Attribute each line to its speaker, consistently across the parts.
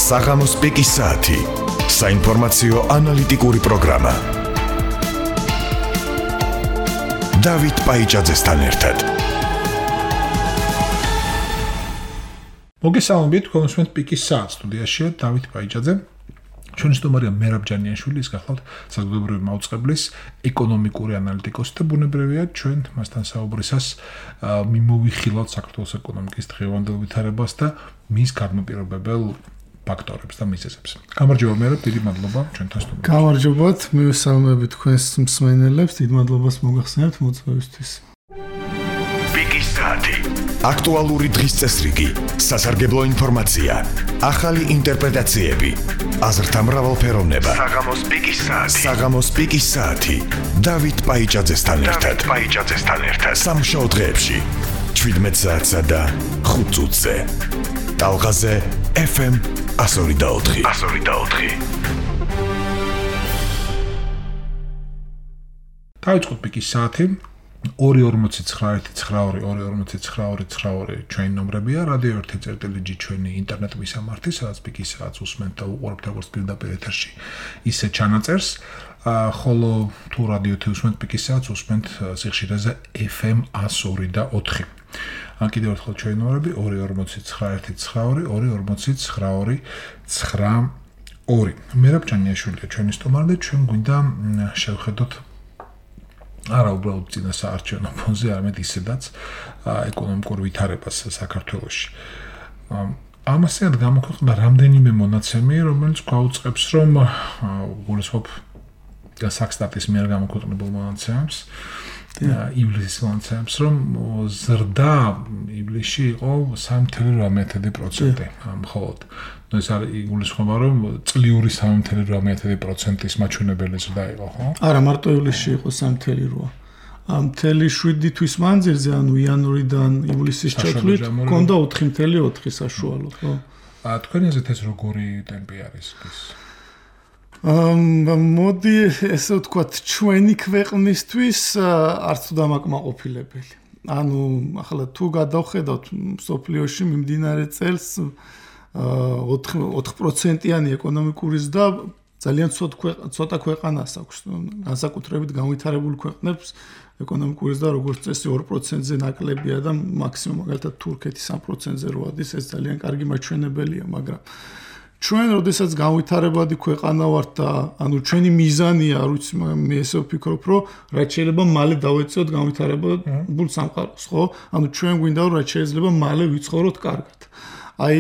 Speaker 1: საღამოს პიკის საათი. საინფორმაციო ანალიტიკური პროგრამა. დავით პაიჭაძესთან ერთად.
Speaker 2: მოგესალმებით, კონსუმენტ პიკის საათს სტუდიაშია დავით პაიჭაძე. ჩვენი სტუმარია მერაბ ჯანიაშვილი, ის გახლავთ საზოგადოებრივი მაუწყებლის ეკონომიკური ანალიტიკოსი და ბუნებრივია ჩვენ მასთან საუბრისას მიმოვიხილავთ საქართველოს ეკონომიკის დღევანდელ ვითარებას და მის განმაპირობებელ ფაქტორებს და მიზეზებს. გამარჯობა მერაბ, დიდი მადლობა ჩვენთან სტუმარში.
Speaker 3: გამარჯობათ, მივესალმებით თქვენს მსმენელებს, დიდი მადლობას მოგახსენებთ მოწვევისთვის.
Speaker 1: პიკის საათი. აქტუალური დღის წესრიგი, სასარგებლო ინფორმაცია, ახალი ინტერპრეტაციები, აზრთა მრავალფეროვნება. საღამოს პიკის საათი. დავით პაიჭაძესთან ერთად. სამშაბათ დღეებში 17 საათსა და 5 წუთზე. ტალღაზე FM 102.4.
Speaker 2: დავიწყოთ პიკის საათი. 249 ჩვენი ნომრებია, რადიო 1.წერტილი ჩვენი ინტერნეტ მისამართი, სადაც პიკის საათს უსმენთ და უყურებთ როგორც პირდაპირ ეთერში, ისე ჩანაწერს, ხოლო თუ რადიო 1 უსმენთ პიკის საათს უსმენთ სიხშირეზე FM 102.4. ან კიდევ ერთხელ ჩვენი ნომრები 249 მერაბ ჯანიაშვილია ჩვენი სტუმარი და ჩვენ გვინდა შევხედოთ არა უბრალოდ წინა საარჩევნო ფონზე, არამედ ისედაც ეკონომიკურ ვითარებას საქართველოში. ამასთან გამოქვეყნდა რამდენიმე მონაცემი, რომელიც გვაუწყებს, რომ გულისხმობ საქსტატის მიერ გამოქვეყნებულ მონაცემებს, ივლისის მონაცემებს, რომ ზრდა ივლისში იყო 3.8%. მხოლოდ ეს არის იგულისხმება, რომ წლიური 3.8%-ის მაჩვენებელი ზრდა იყო, ხო?
Speaker 3: არა, მარტო ივლისში იყო 3.8. მთელი 7 თვის მანძილზე, ანუ იანვრიდან ივლისის ჩათვლით, ჰქონდა 4.4 საშუალო, ხო?
Speaker 2: თქვენი აზრით ეს როგორი ტემპი არის ის?
Speaker 3: მოდი ესე ვთქვათ, ჩვენი ქვეყნისთვის არც თუ დამაკმაყოფილებელი. ანუ ახლა თუ გადავხედავთ მსოფლიოში მიმდინარე წელს 4%-იანი ეკონომიკური ზრდა ძალიან ცოტა ქვეყანას აქვს. განსაკუთრებით განვითარებულ ქვეყნებს ეკონომიკური ზრდა როგორც წესი 2%-ზე ნაკლებია და მაქსიმუმ მაგალითად თურქეთი 3%-ზე როადის, ეს ძალიან კარგი მაჩვენებელია, მაგრამ ჩვენ როდესაც განვითარებადი ქვეყანა ვართ და ანუ ჩვენი მიზანია, არ ვიცი, მე ესე ვფიქრობ, რომ რაც შეიძლება მალე დავეწიოთ განვითარებულ სამყაროს, ხო? ანუ ჩვენ გვინდა რომ რაც შეიძლება მალე ვიცხოვროთ კარგად. აი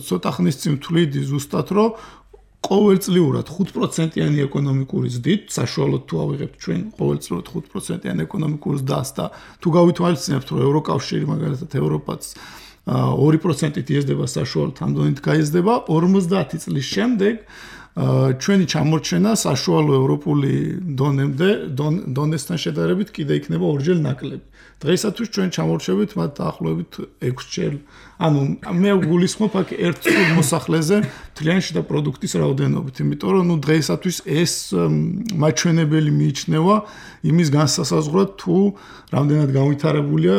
Speaker 3: ცოტა ხნის წინ ვთვლიდი ზუსტად, რომ ყოველწლიურად 5%-იანი ეკონომიკური ზრდით, საშუალოდ თუ ავიღებთ ჩვენ ყოველწლიურად 5%-იანი ეკონომიკური ზრდას და თუ გავითვალისწინებთ, რომ ევროკავშირი მაგალითად ევროპაც 2%-ით იზრდება საშუალოდ ამ დონით გაიზრდება, 50 წლის შემდეგ ჩვენი ჩამორჩენა საშუალო ევროპული დონესთან შედარებით კიდე იქნება ორჯერ ნაკლები. დღეისათვის ჩვენ ჩამორჩებით მათ დაახლოებით 6-ჯერ. ანუ მე ვგულისხმობ აქ ერთ სულ მოსახლეზე მთლიანი შიდა პროდუქტის რაოდენობით, იმიტომ რომ დღეისათვის ეს მაჩვენებელი მიიჩნევა იმის განსასაზღვრად, თუ რამდენად განვითარებულია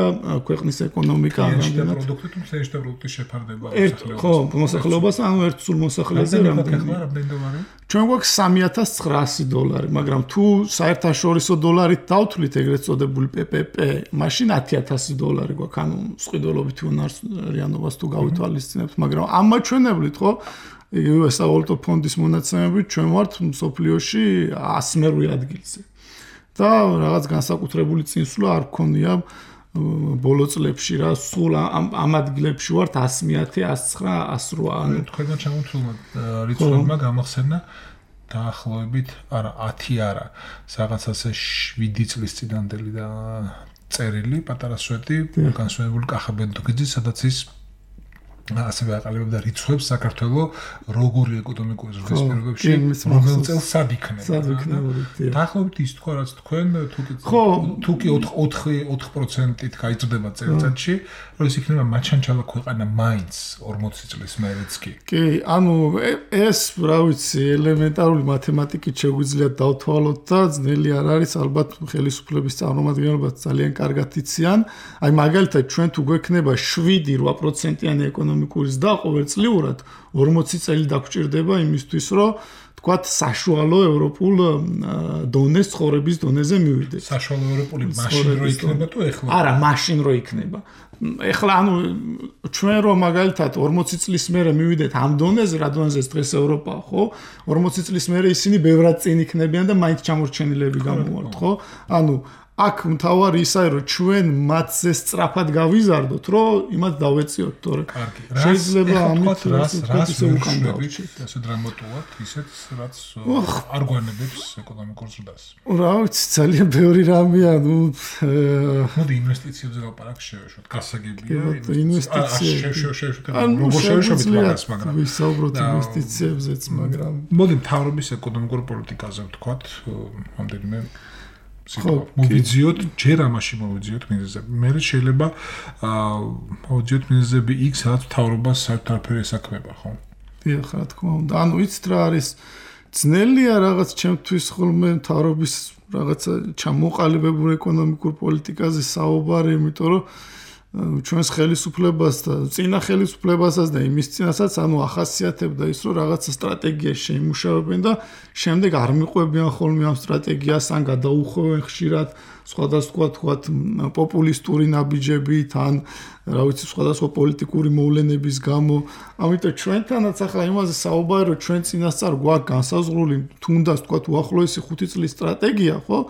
Speaker 3: ქვეყნის ეკონომიკა,
Speaker 2: რამდენად პროდუქტი თუ მთლიანი შიდა პროდუქტის შეფარდება
Speaker 3: მოსახლეობას. ხო, მოსახლეობას, ანუ ერთ სულ მოსახლეზე
Speaker 2: რამდენი
Speaker 3: ჩვენ გვაქვს $3,900, მაგრამ თუ საერთაშორისო დოლარით დავთვლით ეგრეთ წოდებული PPP, მაშინ $10,000 გვაქვს, ანუ სყიდველობითი უნარიანობას თუ გავითვალისწინებთ, მაგრამ ამ მაჩვენებლით, ხო, იგივე სავალუტო ფონდის მონაცემებით ჩვენ ვართ მსოფლიოში 100-ე ადგილზე. და რაღაც განსაკუთრებული წინსვლა არ გქონია ბოლო წლებში რა, სულ ამ ადგილებში ვართ 100, 109, 108. ანუ
Speaker 2: თქვენმა ჩამოთვლილმა რიცხვებმა გამახსენა დაახლოებით, არა 10 არა, რაღაცასე 7 წლის წინანდელი და წერილი, პატარა სვეტი, განსვენებული კახაბენდუქიძის, სადაც ის ასევე აყალიბებდა რიცხვებს საქართველოს როგორი ეკონომიკური ზრდის პირობებში, რომელ წელს სად იქნება. დაახლოებით ის თქვა, რაც თქვენ თუ კი 4%-ით გაიზრდება წელიწადში, რომ ეს იქნება მაჩანჩალა ქვეყანა მაინც 40 წლის მერეც კი.
Speaker 3: კი, ანუ ეს, რა ვიცი, ელემენტარული მათემატიკით შეგვიძლია დავთვალოთ და ძნელი არ არის, ალბათ ხელისუფლების წარმომადგენლებაც ძალიან კარგად იციან. აი მაგალითად ჩვენ თუ გვექნება 7-8%-იანი ეკონომიკური ეკონომიკური ზრდა ყოველწლიურად 40 წელი დაგჭირდება იმისთვის, რომ თქვათ საშუალო ევროპულ დონეს ცხოვრების დონეზე მივიდეს.
Speaker 2: საშუალო ევროპული მაშინ რო იქნება თუ ეხლა?
Speaker 3: არა, მაშინ რო იქნება. ეხლა ანუ ჩვენ რომ მაგალითად 40 წლის მერე მივიდეთ ამ დონეზე, რა დონეზეც დღეს ევროპაა, ხო? 40 წლის მერე ისინი ბევრად წინ იქნებიან და მაინც ჩამორჩენილები გამოვართ, ხო? ანუ აქ მთავარი ისაა, რომ ჩვენ მათზე სწრაფად გავიზარდოთ, რომ იმათ დავეციოთ, თორე შეიძლება ამით
Speaker 2: რას უკან დავჭირთ, ასე დრამატულად, ისეთ რაც არ გვანებებს ეკონომიკურ ზრდას.
Speaker 3: რა ვიცი, ძალიან ბევრი რამეა,
Speaker 2: მოდი ინვესტიციებზე ვლაპარაკ შევეშვათ, გასაგებია
Speaker 3: ინვესტიციები.
Speaker 2: როგორ შევეშვათ მაგას, მაგრამ
Speaker 3: ვისაუბროთ ინვესტიციებზეც, მაგრამ
Speaker 2: მოდი მთავრობის ეკონომიკურ პოლიტიკაზე ვთქვათ, ამდენიმე მოვიძიოთ, ჯერ ამაში მოვიძიოთ მიზეზები. მე შეიძლება მოვიძიოთ მიზეზები იქ, სადაც მთავრობას საერთოდ არაფერი ესაქმება, ხო?
Speaker 3: დიახ, რა თქმა უნდა. ანუ იცით რა არის ძნელია რაღაც ჩემთვის ხოლმე მთავრობის რაღაცა ჩამოყალიბებულ ეკონომიკურ პოლიტიკაზე საუბარი, იმიტომ რომ ჩვენს ხელისუფლებას და წინა ხელისუფლებასაც და იმის წინასაც ანუ ახასიათებდა ის რომ რაღაცა სტრატეგია შეიმუშავებენ და შემდეგ არ მიყვებიან ხოლმე ამ სტრატეგიას ან გადაუხვევენ ხშირად სხვადასხვა თქვათ პოპულისტური ნაბიჯებით ან რა ვიცი სხვადასხვა პოლიტიკური მოვლენების გამო. ამიტომ ჩვენთანაც ახლა იმაზე საუბარი რომ ჩვენ წინასწარ გვაქვს განსაზღვრული თუნდაც თქვათ უახლოესი 5 წლის სტრატეგია, ხო?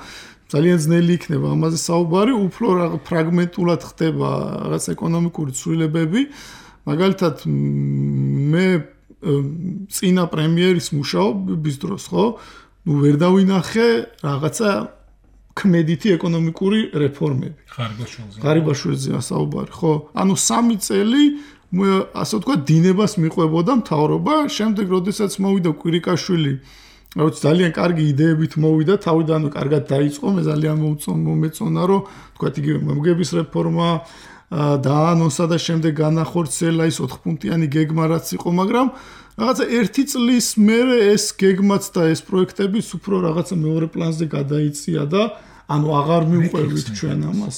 Speaker 3: ძალიან ძნელი იქნება ამაზე საუბარი, უფრო ფრაგმენტულად ხდება რაღაც ეკონომიკური ცვლილებები. მაგალითად მე წინა პრემიერის მუშაობის დროს, ხო? ვერ დავინახე რაღაცა ქმედითი ეკონომიკური რეფორმები. ღარიბაშვილზეა საუბარი, ხო? ანუ 3 წელი ასე ვთქვათ დინებას მიყვებოდა მთავრობა, შემდეგ როდესაც მოვიდა კვირიკაშვილი რაც ძალიან კარგი იდეებით მოვიდა, თავიდანვე კარგად დაიწყო, მე ძალიან მომეწონა, რომ თქვათ იგივე მომგების რეფორმა დაანონსა და შემდეგ განახორციელა ის 4 პუნქტიანი გეგმა რაც იყო, მაგრამ რაღაცა 1 წლის მერე ეს გეგმაც და ეს პროექტებიც უფრო რაღაცა მეორე პლანზე გადაიწია და ანუ აღარ მივყვებით ჩვენ ამას.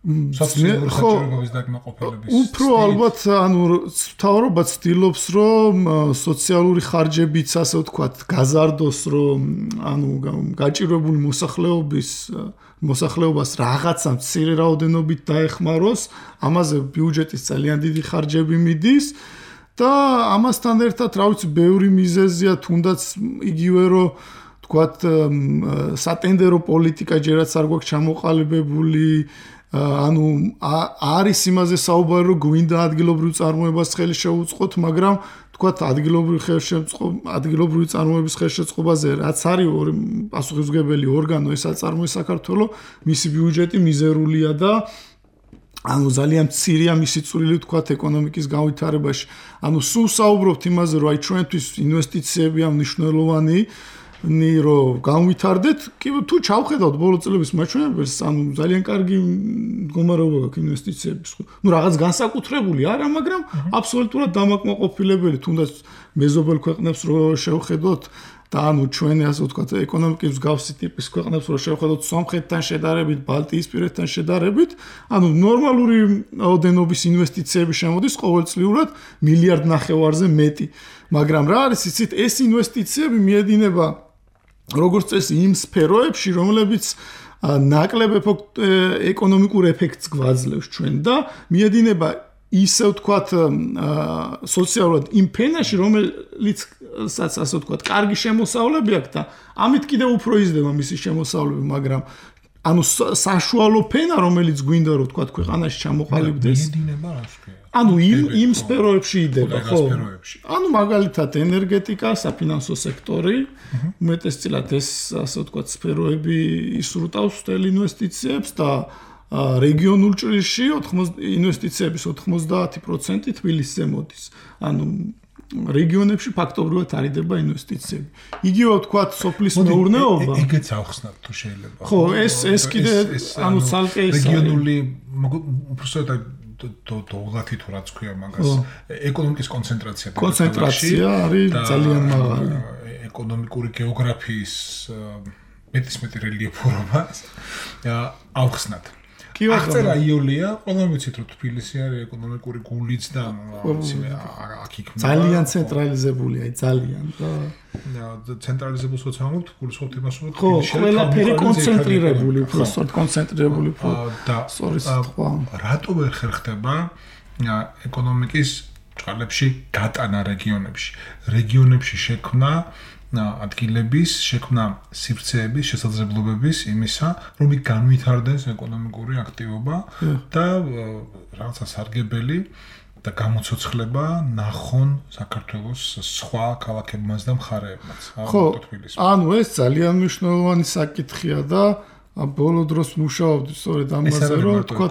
Speaker 2: სოციალური საჭიროების დაკმაყოფილების
Speaker 3: უფრო ალბათ ანუ მთავრობა ცდილობს რომ სოციალური ხარჯებიც ასე ვთქვათ გაზარდოს რომ ანუ გაჭირვებული მოსახლეობას რაღაცა მცირე რაოდენობით დაეხმაროს, ამაზე ბიუჯეტის ძალიან დიდი ხარჯები მიდის და ამასთან ერთად რა ვიცი ბევრი მიზეზია თუნდაც იგივე რომ ვთქვათ სატენდერო პოლიტიკა ჯერაც არ გვაქვს ჩამოყალიბებული ანუ არის იმაზე საუბარი რომ გვინდა ადგილობრივ წარმოებას ხელი შეუწყოთ, მაგრამ თქვათ ადგილობრივი წარმოების ხელშეწყობაზე რაც არის პასუხისმგებელი ორგანო ეს აწარმოებს საქართველოს, მისი ბიუჯეტი მიზერულია და ანუ ძალიან მცირეა მისი წვლილი თქვათ ეკონომიკის განვითარებაში. ანუ სულ საუბრობთ იმაზე რომ აი ჩვენთვის ინვესტიციები ამ მნიშვნელოვანი რომ განვითარდეთ, კი თუ ჩავხედავთ ბოლო წლების მაჩვენებელს, ანუ ძალიან კარგი მდგომარეობა გაქვს ინვესტიციების. ნუ რაღაც განსაკუთრებული არა, მაგრამ აბსოლუტურად დამაკმაყოფილებელი, თუნდაც მეზობელ ქვეყნებს რო შევხედოთ და ანუ ჩვენი ასე ვთქვათ ეკონომიკის მსგავსი ტიპის ქვეყნებს რო შევხედოთ სომხეთთან შედარებით, ბალტიისპირეთთან შედარებით, ანუ ნორმალური ოდენობის ინვესტიციები შემოდის ყოველწლიურად 1.5 მილიარდზე მეტი. მაგრამ რა არის იცით, ეს ინვესტიციები მიედინება როგორც წესი იმ სფეროებში, რომლებიც ნაკლებ ეკონომიკურ ეფექტს გვაძლევს ჩვენ და მიედინება ისე ვთქვათ სოციალურად იმ ფენაში, რომელიცაც ასე ვთქვათ კარგი შემოსავლები აქვს და ამით კიდევ უფრო იზრდება მისი შემოსავლები, მაგრამ ანუ საშუალო ფენა, რომელიც გვინდა რომ ვთქვათ ქვეყანაში ჩამოყალიბდეს.
Speaker 2: მიედინება რა თქვია?
Speaker 3: ანუ იმ სფეროებში იდება, ხო? ანუ მაგალითად ენერგეტიკა, საფინანსო სექტორი, უმეტესწილად ეს ასე ვთქვათ სფეროები ისრუტავს თელ ინვესტიციებს და რეგიონულ ჭრილში ინვესტიციების 90% თბილისზე მოდის. ანუ რეგიონებში ფაქტობრივად არიდება ინვესტიციები. იგივე ვთქვათ სოფლის მეურნეობა.
Speaker 2: ეგეც ახსნათ თუ შეიძლება.
Speaker 3: ხო, ეს კიდე ანუ ცალკე ის
Speaker 2: რეგიონული უბრალოდ თողათი თუ რაც ქვია მაგას ეკონომიკის კონცენტრაცია
Speaker 3: არის ძალიან მაღალი.
Speaker 2: ეკონომიკური გეოგრაფიის მეტისმეტი რელიეფურობა ახსნათ.
Speaker 3: კი ვარ.
Speaker 2: აღწერა იოლია, ყველამ ვიცით რომ თბილისი არის ეკონომიკური გულიც და აქ იქნება.
Speaker 3: ძალიან ცენტრალიზებულია, ძალიან და
Speaker 2: ცენტრალიზებულს ვამბობთ, გულისხმობთ იმას რომ
Speaker 3: თბილისში ყველაფერი კონცენტრირებული, უბრალოდ კონცენტრირებული
Speaker 2: და
Speaker 3: სწორედ
Speaker 2: რატო ვერ ხერხდება ეკონომიკის ჭალებში გატანა რეგიონებში შექმნა ადგილების, შექმნა სივრცეების, შესაძლებლობების იმისა, რომ იქ განვითარდეს ეკონომიკური აქტივობა და რაღაცა სარგებელი და გამოცოცხლება ნახონ საქართველოს სხვა ქალაქებმაც და მხარეებმაც.
Speaker 3: ანუ ეს ძალიან მნიშვნელოვანი საკითხია და ბოლო დროს მუშაობდი სწორედ ამაზე, რომ თქვა,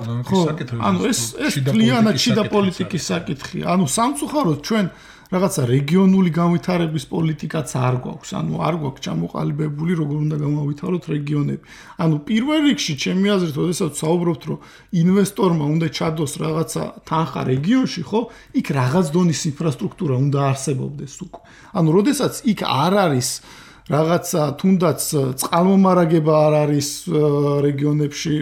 Speaker 3: ანუ ეს ძალიანად შიდა პოლიტიკის საკითხია. ანუ სამწუხაროდ ჩვენ რაღაცა რეგიონული განვითარების პოლიტიკაც არ გვაქვს, ანუ არ გვაქვს ჩამოყალიბებული, როგორ უნდა გამავითაროთ რეგიონები. ანუ პირველ რიგში ჩემი აზრით, როდესაც საუბრობთ, რომ ინვესტორმა უნდა ჩადოს რაღაცა თანხა რეგიონში, ხო, იქ რაღაც დონის ინფრასტრუქტურა უნდა არსებობდეს უკვე. ანუ როდესაც იქ არ არის რაღაცა თუნდაც წყალმომარაგება არ არის რეგიონებში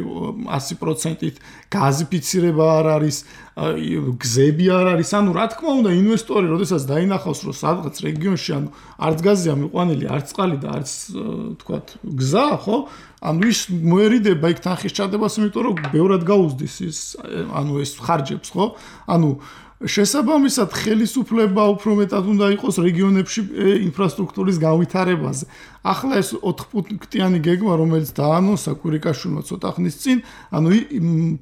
Speaker 3: 100%-ით, გაზიფიცირება არ არის, გზები არ არის, ანუ რა თქმა უნდა ინვესტორი როდესაც დაინახავს რომ სადღაც რეგიონში ანუ არც გაზია მიყვანილი, არც წყალი და არც თქვათ გზა, ხო? ანუ ის მოერიდება იქ თანხის ჩადებას, იმიტომ რომ ბევრად გაუზდის ის ანუ ეს ხარჯებს, ხო? ანუ შესაბამისად ხელისუფლება უფრო მეტად უნდა იყოს რეგიონებში ინფრასტრუქტურის განვითარებაზე. ახლა ეს 4 პუნქტიანი გეგმა, რომელიც დაანონსა კვირიკაშვილმა ცოტა ხნის წინ, ანუ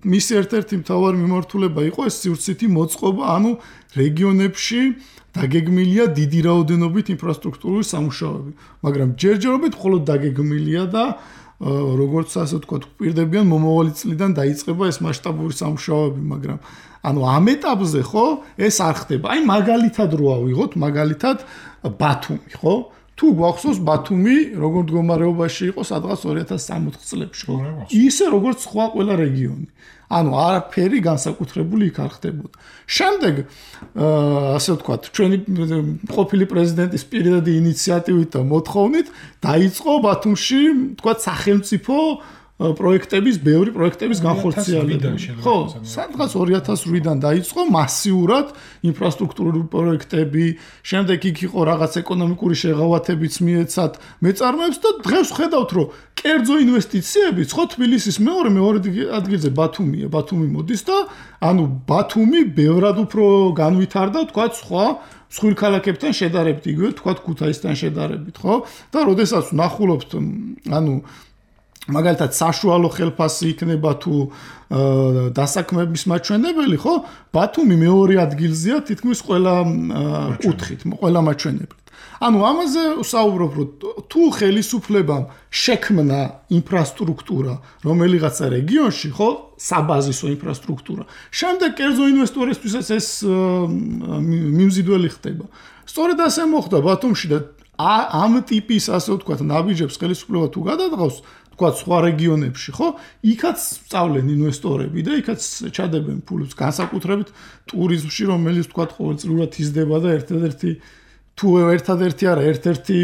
Speaker 3: მის ერთ-ერთი მთავარი მიმართულება იყო ეს სივრცითი მოწყობა, ანუ რეგიონებში დაგეგმილია დიდი რაოდენობით ინფრასტრუქტურული სამუშაოები, მაგრამ ჯერჯერობით მხოლოდ დაგეგმილია და როგორც ასე ვთქვათ, გვპირდებიან მომავალი წლიდან დაიწყება ეს მასშტაბური სამუშაოები, მაგრამ ანუ ამ ეტაპზე ხო ეს არ ხდება. აი მაგალითად რო ავიღოთ, მაგალითად ბათუმი, ხო? თუ გვახსოვს ბათუმი როგორ მდგომარეობაში იყო სადღაც 2060 წლებში, ხო? ისე როგორც სხვა ყველა რეგიონი. ანუ არაფერი განსაკუთრებული იქ არ ხდებოდა. შემდეგ ასე ვთქვათ, ჩვენი ყოფილი პრეზიდენტის პირადი ინიციატივით და მოთხოვნით დაიწყო ბათუმში, ვთქვათ, სახელმწიფო პროექტების, ბევრი პროექტების განხორციელება. ხო, სადღაც 2008-დან დაიწყო მასიურად ინფრასტრუქტურული პროექტები, შემდეგ იქ იყო რაღაც ეკონომიკური შეღავათებიც მიეცათ მეწარმეებს და დღეს ხედავთ, რომ კერძო ინვესტიციებიც, ხო, თბილისის მეორე ადგილზე ბათუმია, ბათუმი მოდის და ანუ ბათუმი ბევრად უფრო განვითარდა, თქვათ, სხვა სხვილ ქალაქებთან შედარებით, იგივე თქვათ ქუთაისთან შედარებით, ხო? და როდესაც ვნახულობთ, ანუ მაგალითად საშუალო ხელფასი იქნება თუ დასაქმების მაჩვენებელი, ხო? ბათუმი მეორე ადგილზეა თითქმის ყველა კუთხით, ყველა მაჩვენებლით. ანუ ამაზე ვსაუბრობ, რომ თუ ხელისუფლებამ შექმნა ინფრასტრუქტურა რომელიღაცა რეგიონში, ხო, საბაზისო ინფრასტრუქტურა, შემდეგ კერძო ინვესტორისთვისაც ეს მიმზიდველი ხდება. სწორედ ასე მოხდა ბათუმში და ამ ტიპის ასე ვთქვათ ნაბიჯებს ხელისუფლება თუ გადადგავს თქვათ სხვა რეგიონებში, ხო? იქაც სწავლენ ინვესტორები და იქაც ჩადებენ ფულს, განსაკუთრებით ტურიზმში, რომელიც თქვათ ყოველწლიურად იზრდება და ერთადერთი თუ ერთადერთი არა, ერთ-ერთი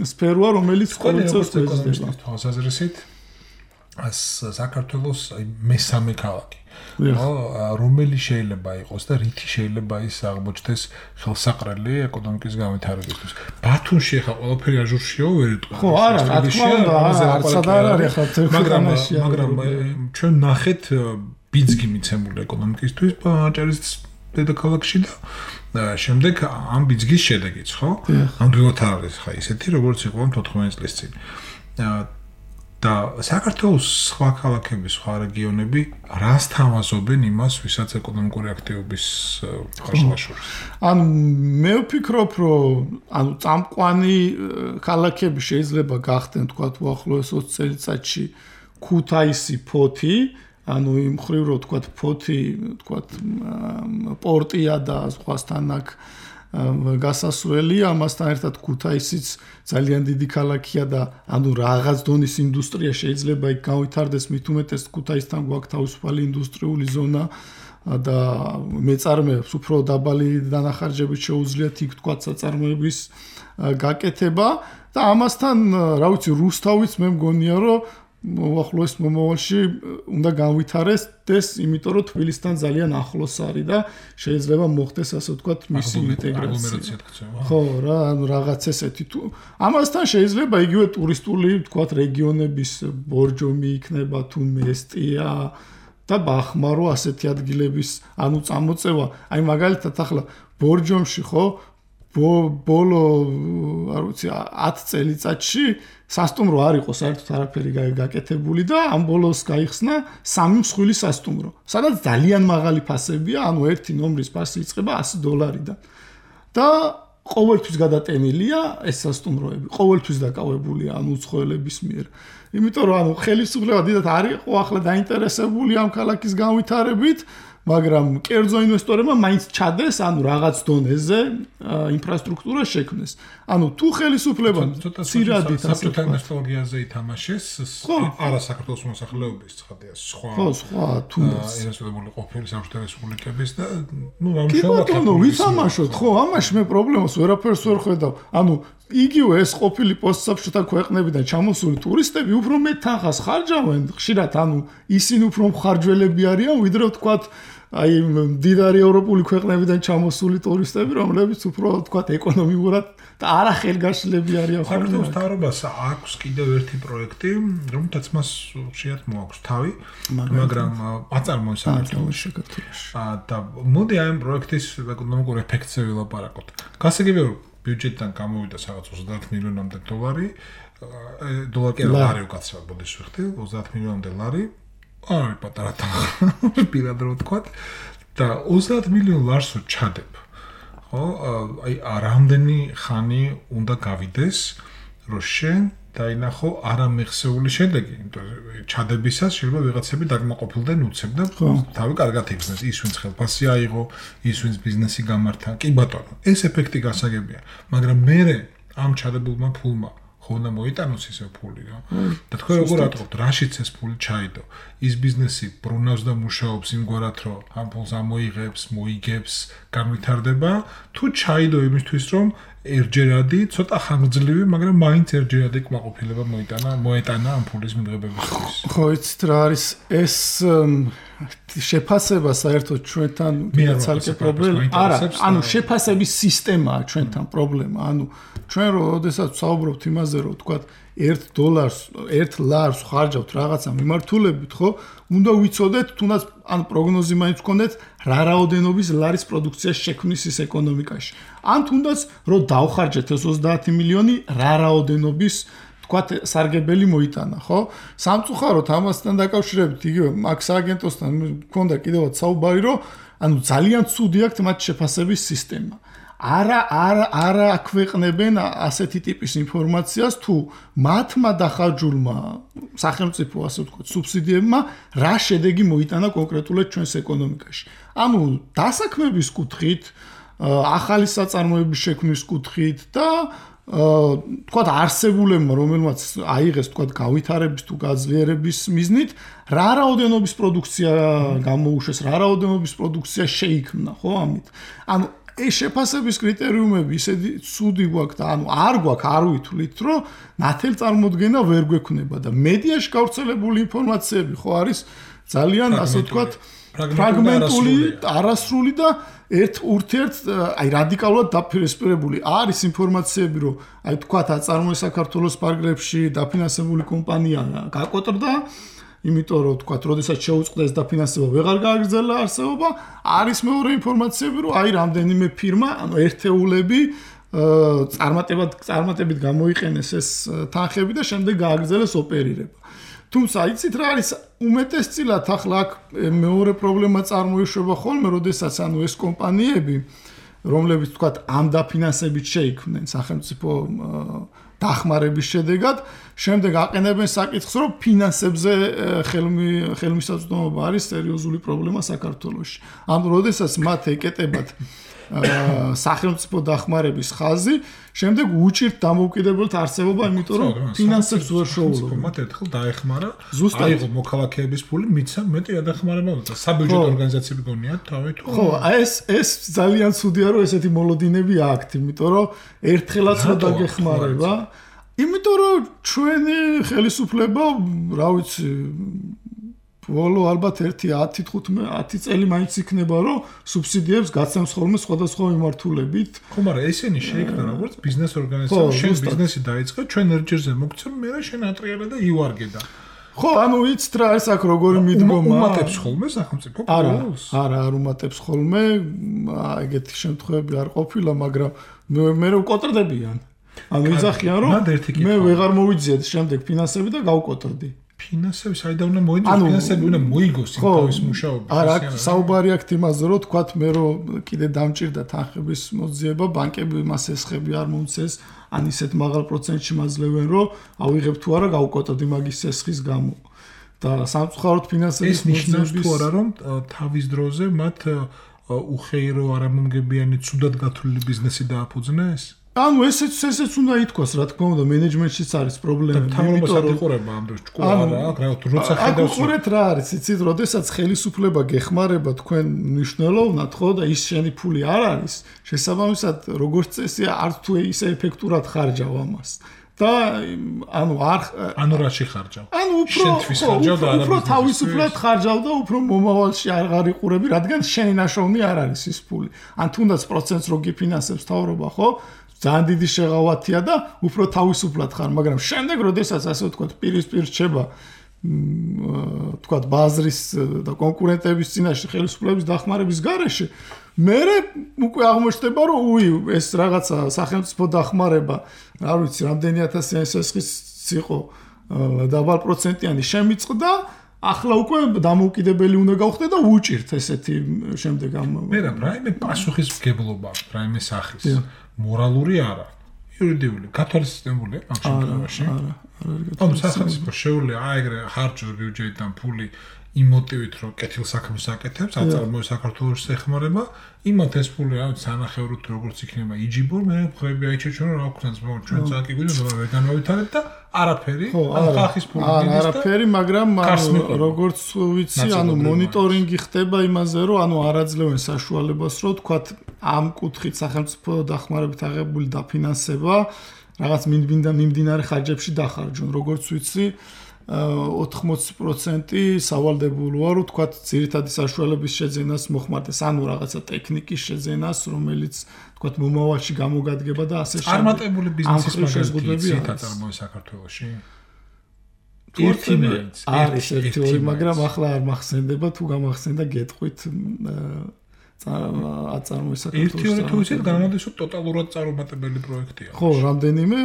Speaker 3: სფეროა, რომელიც ყოველწლიურად იზრდება.
Speaker 2: თვალსაზრისით საქართველოს მესამე ქალაქი. რომელი შეიძლება იყოს და რითი შეიძლება ის აღმოჩნდეს ხელსაყრელი ეკონომიკის განვითარებისთვის. ბათუმში ხა ყველაფერი აჟურშიო ვერ იტყვი.
Speaker 3: ხო, არა, რა თქმა უნდა, არცად არ არის ხა თერქანაში.
Speaker 2: მაგრამ ჩვენ ნახეთ ბიძგი მიცემული ეკონომიკისთვის აჭარის დედაქალაქში და შემდეგ ამ ბიძგის შედეგიც, ხო? ამდროულად არის ხა ისეთი, როგორც იყო 14 წლის წინ. და საქართველოს სხვა ქალაქები, სხვა რეგიონები რას თავაზობენ იმას, ვისაც ეკონომიკური აქტივობის ხარშხაშურს?
Speaker 3: ანუ მე ვფიქრობ, რომ ანუ წამყვანი ქალაქები შეიძლება გახდნენ, თქვათ, უახლოეს 20 წელიწადში ქუთაისი, ფოთი, ანუ იმ ხრივ რომ თქვათ, ფოთი, თქვათ, პორტია და სხვასთან აქ გასასვლელი, ამასთან ერთად ქუთაისიც ძალიან დიდი ქალაქია და ანუ რაღაც დონის ინდუსტრია შეიძლება იქ განვითარდეს, მით უმეტეს ქუთაისთან გვაქვს თავისუფალი ინდუსტრიული ზონა და მეწარმეებს უფრო დაბალი დანახარჯებით შეუძლიათ იქ თქვათ საწარმოების გაკეთება და ამასთან, რა ვიცი, რუსთავიც მე მგონია, რომ უახლოეს მომავალში უნდა განვითარდეს, იმიტომ რომ თბილისთან ძალიან ახლოს არის და შეიძლება მოხდეს ასე ვთქვათ მისი ინტეგრაცია. ხო, რა, ანუ რაღაც ესეთი თუ ამასთან შეიძლება იგივე ტურისტული ვთქვათ რეგიონების ბორჯომი იქნება თუ მესტია და ბახმარო ასეთი ადგილების ანუ წამოწევა. აი მაგალითად ახლა ბორჯომში ხო ბოლო არ ვიცი 10 წელიწადში სასტუმრო არ იყო საერთოდ არაფერი გაკეთებული და ამ ბოლოს გაიხსნა 3 მსხვილი სასტუმრო. სადაც ძალიან მაღალი ფასებია, ანუ ერთი ნომრის ფასი იწყება $100-დან. და ყოველთვის გადატენილია ეს სასტუმროები, ყოველთვის დაკავებულია ანუ უცხოელების მიერ. იმიტომ რომ ანუ ხელისუფლება დიდად არ იყო ახლა დაინტერესებული ამ ქალაქის განვითარებით, მაგრამ კერძო ინვესტორებმა მაინც ჩადეს, ანუ რაღაც დონეზე ინფრასტრუქტურა შექმნეს. ანუ თუ ხელისუფლება ცირადით
Speaker 2: საბჭოთა ინვესტორიაზე ითამაშეს, არა საქართველოს მოსახლეობის ცხადია, სხვა თუნდაც ინვესტორები ყოფილი საბჭოთა რესპუბლიკების და ნუ
Speaker 3: რამშობათო ვითამაშოთ, ხო, ამაში მე პრობლემას ვერაფერს ვერ ხედავ. ანუ იგივე ეს ყოფილი პოსტსაბჭოთა ქვეყნებიდან ჩამოსული ტურისტები უფრო მეტ თანხას ხარჯავენ, ხშირად ანუ ისინი უფრო მხარჯველები არიან, ვიდრე ვთქვათ აი მდიდარი ევროპული ქვეყნებიდან ჩამოსული ტურისტები, რომლებიც უფრო ვთქვათ ეკონომიურად და არა ხელგაშლები არიან.
Speaker 2: საქართველოს მთავრობას აქვს კიდევ ერთი პროექტი, რომელთაც მას ხშირად მოაქვს თავი, მაგრამ აწარმოებს საქართველოში. და მოდი აი ამ პროექტის ეკონომიკურ ეფექტზე ვილაპარაკოთ. გასაგებია ბიუჯეტიდან გამოვიდა რაღაც 30 მილიონამდე $, დოლარი კი არა, უკაცრავად ბოდის ვიხდი, 30 მილიონამდე $. აი პატარა თანხა პირად რო ვთქვათ და 30 მილიონ ლარსო ჩადებ. ხო, აი რამდენი ხანი უნდა გავიდეს, რომ შენ დაინახო არამეხსეული შედეგი, იმიტომ რომ ჩადებისას შეიძლება ვიღაცები დაგმაყოფილდნენ უცებ და თავი კარგად იგრძნეს, ის ვინც ხელფასი აიღო, ის ვინც ბიზნესი გამართა. კი ბატონო, ეს ეფექტი გასაგებია, მაგრამ მერე ამ ჩადებულმა ფულმა ხო უნდა მოიტანოს ისე ფული რა. და თქვენ როგორ ატყობთ, რაშიც ეს ფული ჩაიდო? ის ბიზნესი ბრუნავს და მუშაობს იმგვარად, რომ ამ ფულს ამოიღებს, მოიგებს, განვითარდება, თუ ჩაიდო იმისთვის, რომ ერთჯერადი, ცოტა ხანგრძლივი, მაგრამ მაინც ერთჯერადი კმაყოფილება მოეტანა ამ ფულის მიღებებისთვის.
Speaker 3: ხო, იცით რა არის ეს შეფასება საერთოდ ჩვენთან ცალკე პრობლემა. არა, ანუ შეფასების სისტემაა ჩვენთან პრობლემა. ანუ ჩვენ როდესაც ვსაუბრობთ იმაზე, რომ ვთქვათ $1 ლარს ხარჯავთ რაღაცა მიმართულებით, ხო? უნდა ვიცოდეთ, თუნდაც ან პროგნოზი მაინც გქონდეთ, რა რაოდენობის ლარის პროდუქცია შექმნის ის ეკონომიკაში. ან თუნდაც რომ დავხარჯეთ ეს 30 მილიონი, რა რაოდენობის თქვათ სარგებელი მოიტანა, ხო? სამწუხაროდ ამასთან დაკავშირებით იგივე მაქს აგენტოსთან მქონდა კიდევაც საუბარი, რომ ანუ ძალიან ცუდი აქვს მათ შეფასების სისტემა. არა აქვეყნებენ ასეთი ტიპის ინფორმაციას თუ მათმა დახარჯულმა სახელმწიფო ასე ვთქვათ სუბსიდიებმა რა შედეგი მოიტანა კონკრეტულად ჩვენს ეკონომიკაში. ანუ დასაქმების კუთხით, ახალი საწარმოების შექმნის კუთხით და თქვათ არსებულებმა რომელმაც აიღეს თქვათ გავითარების თუ გაძლიერების მიზნით რა რაოდენობის პროდუქცია გამოუშვეს, რა რაოდენობის პროდუქცია შეიქმნა, ხო ამით. ანუ ეს შეფასების კრიტერიუმები ისეთი ცუდი გვაქვს და ანუ არ გვაქვს, არ ვითვლით, რომ ნათელ წარმოდგენა ვერ გვექნება და მედიაში გავრცელებული ინფორმაციები ხო არის ძალიან ასე ვთქვათ ფრაგმენტული, არასრული და ერთ აი რადიკალურად დაფინანსებული. არის ინფორმაციები, რომ აი თქვათ აწარმოეს საქართველოს პარკებში დაფინანსებული კომპანია გაკოტრდა, იმიტომ რომ თქვათ, როდესაც შეუწყდა ეს დაფინანსება, ვეღარ გააგრძელა არსებობა. არის მეორე ინფორმაციები, რომ აი რამდენიმე ფირმა, ანუ ერთეულები წარმატებით გამოიყენეს ეს თანხები და შემდეგ გააგრძელეს ოპერირება. თუმცა იცით რა არის უმეტესწილად ახლა აქ მეორე პრობლემა წარმოიშვება ხოლმე, როდესაც ანუ ეს კომპანიები, რომლებიც თქვათ ამ დაფინანსებით შეიქმნენ სახელმწიფო დახმარების შედეგად, შემდეგ აყენებენ საკითხს, რომ ფინანსებზე ხელმისაწვდომობა არის სერიოზული პრობლემა საქართველოში. ანუ როდესაც მათ ეკეტებათ სახელმწიფო დახმარების ხაზი, შემდეგ უჭირთ დამოუკიდებელთ არსებობა, იმიტომ რომ ფინანსებს ვერ შოულობენ.
Speaker 2: მათ ერთხელ დაეხმარა, აიღო მოქალაქეების ფული, მიცა მეტი ადახმარება და საბიუჯეტო ორგანიზაციები გონიათ თავი თუ.
Speaker 3: ხო, ეს ძალიან ცუდია, რომ ესეთი მოლოდინები აქვთ, იმიტომ რომ ერთხელაც რო დაგეხმარება, იმიტომ რომ ჩვენი ხელისუფლება, რა ვიცი, ბოლო ალბათ 10-15 წელი მაინც იქნება, რომ სუბსიდიებს გაცემს ხოლმე სხვადასხვა მიმართულებით.
Speaker 2: ხო, მაგრამ ესენი შეიქმნა როგორც ბიზნეს ორგანიზაცია, შენ ბიზნესი დაიწყე, ჩვენ ერჯერზე მოგცემ, მე შენ ატრიალე და ივარგე და.
Speaker 3: ხო, ანუ ვიცით რა ეს აქ როგორი მიდგომა.
Speaker 2: უმატებს ხოლმე სახელმწიფო პროექტს?
Speaker 3: არა, არ უმატებს ხოლმე, ეგეთი შემთხვევები არ ყოფილა, მაგრამ მე ვკოტრდებიან. ანუ იძახიან რომ მე ვეღარ მოვიძიეთ შემდეგ ფინანსები და გავკოტრდი.
Speaker 2: ფინანსები საიდან უნდა მოიძიოს, ფინანსები უნდა მოიგოს იმ თავის მუშაობაში.
Speaker 3: არა, საუბარი აქ იმაზე რომ თქვათ მე რომ კიდე დამჭირდა თანხების მოძიება, ბანკები მას ესხები არ მომცეს, ან ისეთ მაღალ პროცენტში მაძლევენ რომ ავიღებ თუ არა გავკოტრდი მაგის ესხის გამო. და სამწუხაროდ ფინანსების
Speaker 2: ნიშნავს თუ არა რომ თავის დროზე მათ უხეირო არამომგებიანი ცუდად გათვლილი ბიზნესი დააფუძნეს?
Speaker 3: ანუ ესეც უნდა ითქვას, რა თქმა უნდა, მენეჯმენტშიც არის პრობლემები.
Speaker 2: იმიტომ რომ ეხურება ამ დროს ჭკუა არა, როცა ხედავს
Speaker 3: უყურეთ რა არის, იცით, როდესაც ხელისუფლება გეხმარება თქვენ მნიშვნელოვნად, ხო და ის შენი ფული არ არის, შესაბამისად, როგორც წესია, არც თუ ისე ეფექტურად ხარჯავ ამას. და ანუ
Speaker 2: რაში ხარჯავ?
Speaker 3: ანუ უფრო თავისუფლად ხარჯავ და უფრო მომავალში არ იყურები, რადგან შენი ნაშოვნი არ არის ის ფული. ან თუნდაც პროცენტს რო გიფინანსებს თავრობა, ხო? ძალიან დიდი შეღავათია და უფრო თავისუფლად ხარ, მაგრამ შემდეგ როდესაც ასე ვთქვათ, პირისპირ რჩება ვთქვათ, ბაზრის და კონკურენტების წინაშე ხელისუფლების დახმარების გარეშე, მერე უკვე აღმოჩნდება, რომ ეს რაღაცა სახელმწიფო დახმარება, არ ვიცი, რამდენი ათასიანი შესხის იყო დაბალ პროცენტიანი შემიწყდა, ახლა უკვე დამოუკიდებელი უნდა გავხდე და უჭირთ ესეთი შემდეგ ამ
Speaker 2: მე რაიმე პასუხისმგებლობა, რაიმე სახის მორალური არა, იურიდიული, გათვალისწინებულია ამ შემთხვევაში. ანუ სახელმწიფო შეუძლია აეგრე ხარჯოს ბიუჯეტიდან ფული იმ მოტივით, რომ კეთილსაქმეს აკეთებს, აწარმოებს საქართველოს ეხმარება, იმათ ეს ფული რა ვიცი, ანახევროთ როგორც იქნება იჯიბო, მე ხრები აიჩეჩვენო რა ვქნას, ჩვენ ძალიან კი გვინდა ვერ განავითარებთ და არაფერი, ხალხის ფული მიდის და
Speaker 3: არაფერი, მაგრამ როგორც ვიცი, ანუ მონიტორინგი ხდება იმაზე, რომ ანუ არ აძლევენ საშუალებას, რომ თქვათ ამ კუთხით სახელმწიფო დახმარებით აღებული დაფინანსება რაღაც მიმდინარე ხარჯებში დახარჯონ, როგორც ვიცი 80% სავალდებულოა, რომ თქვათ ძირითადი საშუალების შეძენას მოხმარდეს, ანუ რაღაცა ტექნიკის შეძენას, რომელიც თქვათ მომავალში გამოგადგება და ასე შემდეგ.
Speaker 2: წარმატებული ბიზნესის მაგალითი აწარმოებს საქართველოში?
Speaker 3: არის ერთი, მაგრამ ახლა არ მახსენდება, თუ გამახსენდა გეტყვით აწარმოებს საქართველოში.
Speaker 2: ერთი თუ ისეთ განმოდის, რომ ტოტალურად წარუმატებელი პროექტია.
Speaker 3: ხო, რამდენიმე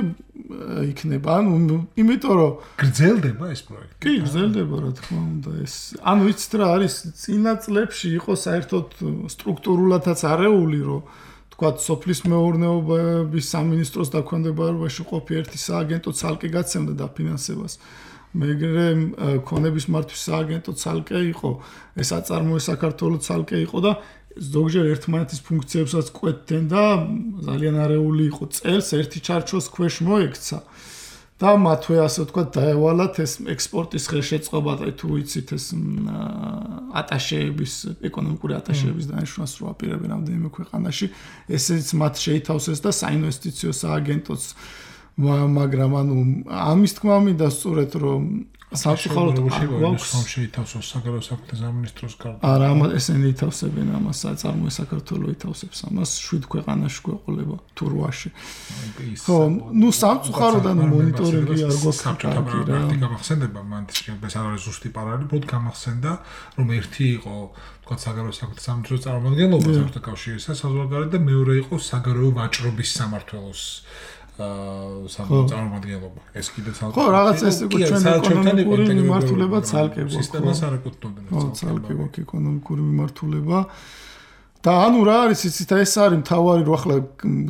Speaker 3: იქნება. ანუ იმიტომ რომ
Speaker 2: გრძელდება ეს პროექტი.
Speaker 3: კი, გრძელდება, რა თქმა უნდა, ეს. ანუ იცით რა არის, წინა წლებში იყო საერთოდ სტრუქტურულადაც არეული, რომ თქვათ, სოფლის მეურნეობის სამინისტროს დაქვემდებარებაში ყოფი ერთი სააგენტო ცალკე გაცემდა დაფინანსებას. მეგრე ქონების მართვის სააგენტო ცალკე იყო, ეს აწარმოებს საქართველოს ცალკე იყო და ზოგჯერ ერთმანეთის ფუნქციებსაც კვეთდნენ და ძალიან არეული იყო წელს ერთი ჩარჩოს ქვეშ მოექცა და მათვე ასე ვთქვათ დაევალათ ეს ექსპორტის ხელშეწყობა და თუ იცით ეს ატაშეების ეკონომიკური ატაშეების დანიშნვას რო აპირებენ რამდენიმე ქვეყანაში ესეც მათ შეითავსეს და საინვესტიციო სააგენტოც მაგრამ ანუ ამის თქმა მინდა სწორედ რომ სამწუხაროდ
Speaker 2: გვაქვს შეითავსოს საგარეო საქმეთა სამინისტროს გარდა.
Speaker 3: არა, ესენი ითავსებენ ამას, აწარმოებს საქართველოს ითავსებს ამას 7 ქვეყანაში გვეყოლება თუ 8-ში. ხო, ნუ სამწუხაროდ ანუ მონიტორინგი არ გვაქვს კარგი რა.
Speaker 2: გამახსენდება მან ეს არ არის ზუსტი პარალელი, უფრო გამახსენდა რომ ერთი იყო თქვა საგარეო საქმეთა სამინისტროს წარმომადგენლობა საბჭოთა კავშირისა საზღვარგარეთ და მეორე იყო საგარეო ვაჭრობის სამმართველოს წარმომადგენლობა. ეს კიდე ცალკე.
Speaker 3: ხო, რაღაც ეს იყო ჩვენ ეკონომიკური მიმართულება ცალკე გვაქვს.
Speaker 2: სისტემას არ ეკუთვნოდნენ.
Speaker 3: ხო, ცალკე გვაქვს ეკონომიკური მიმართულება. და ანუ რა არის, იცით, ეს არის მთავარი, რომ ახლა